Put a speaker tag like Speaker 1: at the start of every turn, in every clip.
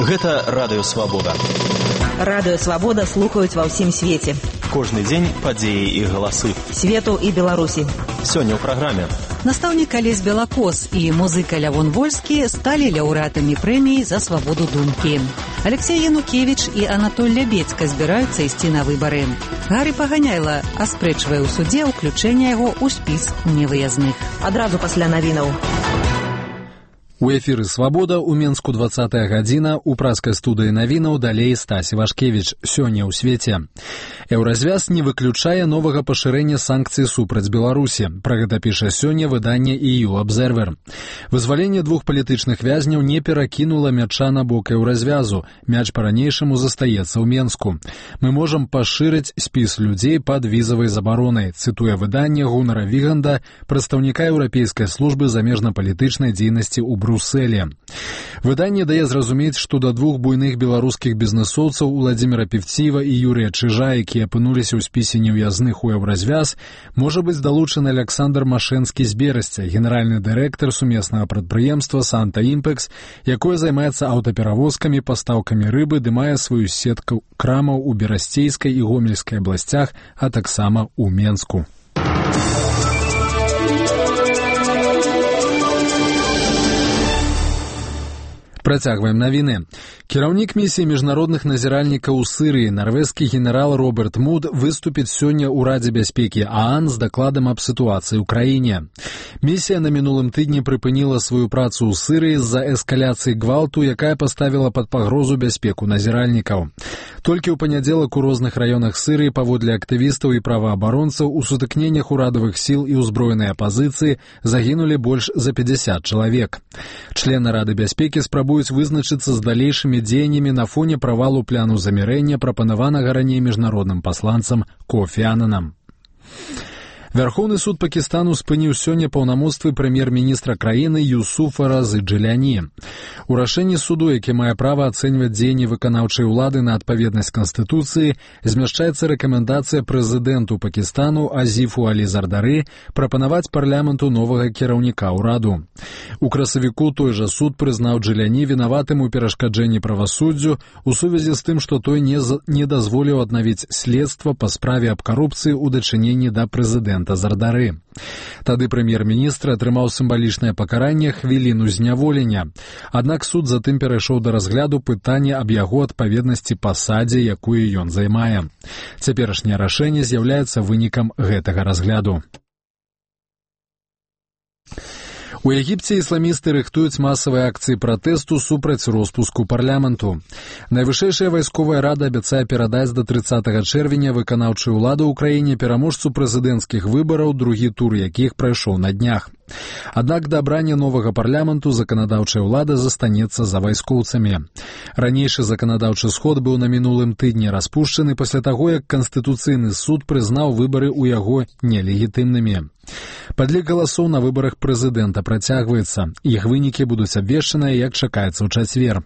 Speaker 1: Гэта Радыё Свабода.
Speaker 2: Радыё Свабода слухаюць ва ўсім свеце.
Speaker 1: Кожны дзень падзеі і галасы
Speaker 2: Свету і Беларусі.
Speaker 1: Сёння ў праграме.
Speaker 3: Настаўнік Алесь Белакос і музыка Лявон Вольскі сталі лаўрэатамі прэміі за свабоду думкі. Алексей Янукевіч і Анатоль Лябедзька збіраюцца ісці на выбары. Гары Паганяйла аспрэчвае ў судзе ўключэнне яго ў спіс невыязных.
Speaker 2: Адразу пасля навінаў.
Speaker 4: У эфіры «Свабода» у Менску 20-я гадзіна, у праскай студыі навінаў далей Стась Івашкевіч. Сёння ў свеце. Еўразвяз не выключае новага пашырэння санкцый супраць Беларусі. Пра гэта піша сёння выданне EU Observer. Вызваленне двух палітычных вязняў не перакінула мяча на бок еўразвязу. Мяч па-ранейшаму застаецца ў Менску. Мы можам пашырыць спіс людзей пад візавай забаронай, цытуе выданне Гунара Віганда, прадстаўніка Еўрапейскай службы замежна-палітычнай дзейнасці ў Брусселе. Выданне дае зразумець, што да двух буйных беларускіх бізнэсоўцаў Уладзіміра Певціева і Юрія Чыжа, якія апынуліся ў спісе неўязных у еўразвяз, можа быць далучаны Александр Машэнскі з Берасця, генеральны дырэктар сумеснага прадпрыемства «Санта Імпекс», якое займаецца аўтаперавозкамі, пастаўкамі рыбы, ды мае сваю сетку крамаў у Берасцейскай і Гомельскай абласцях, а таксама ў Менску. Працягваем навіны. Кіраўнік місіі міжнародных назіральнікаў у Сырыі, нарвежскі генерал Роберт Муд, выступіць сёння ў Радзе бяспекі ААН з дакладам аб сітуацыі ў краіне. Місія на мінулым тыдні прыпыніла сваю працу ў Сырыі з-за эскаляцыі гвалту, якая паставіла пад пагрозу бяспеку назіральнікаў. Толькі ў панядзелак у розных раёнах Сырыі паводле актывістаў і праваабаронцаў у сутыкненнях урадавых сіл і ўзброенай апазіцыі загінулі больш за 50 чалавек. Члены Рады бяспекі спрабуюць вызначыцца з далейшымі дзеяннямі на фоне правалу пляну замірэння, прапанаванага раней міжнародным пасланцам Кофі Ананам. Вярхоўны суд Пакістану спыніў сёння паўнамоцтвы прэм'ер-міністра краіны Юсуфа Разы Джиляні. У рашэнні суду, які мае права ацэньваць дзеянні выканаўчай улады на адпаведнасць Канстытуцыі, змяшчаецца рэкамендацыя прэзідэнту Пакістану Азіфу Алі Зардары прапанаваць парламенту новага кіраўніка ўраду. У красавіку той жа суд прызнаў Джиляні вінаватым у перашкаджэнні правасуддзю у сувязі з тым, што той не дазволіў аднавіць следства па справе аб карупцыі ў дачыненні да прэзідэнта Зардары. Тады прэм'ер-міністр атрымаў сімвалічнае пакаранне хвіліну зняволення. Аднак суд затым перайшоў да разгляду пытання аб яго адпаведнасці пасадзе, якую ён займае. Цяперашняе рашэнне з'яўляецца вынікам гэтага разгляду. У Егіпце ісламісты рыхтуюць масавыя акцыі пратэсту супраць роспуску парламенту. Найвышэйшая вайсковая рада абяцае перадаць да 30 чэрвеня выканаўчую ўладу ў краіне пераможцу прэзідэнцкіх выбараў, другі тур якіх прайшоў на днях. Аднак да абрання новага парламенту заканадаўчая ўлада застанецца за вайскоўцамі. Ранейшы заканадаўчы сход быў на мінулым тыдні распушчаны пасля таго, як Канстытуцыйны суд прызнаў выбары ў яго нелегітымнымі. Падлік галасоў на выбарах прэзідэнта працягваецца. Іх вынікі будуць абвешчаныя, як чакаецца ў чацвер.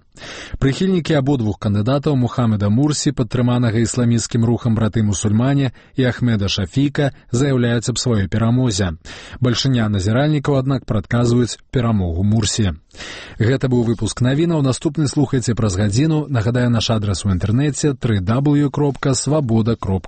Speaker 4: Прыхільнікі абодвух кандыдатаў Мухаммеда Мурсі, падтрыманага ісламісцкім рухам браты-мусульмане, і Ахмеда Шафіка заяўляюць аб сваёй перамозе. Бальшыня назіральнікаў, аднак, прадказваюць перамогу Мурсі. Гэта быў выпуск навінаў. Наступны слухайце праз гадзіну. Нагадаю, наш адрас у інтэрнэце www.swaboda.ru.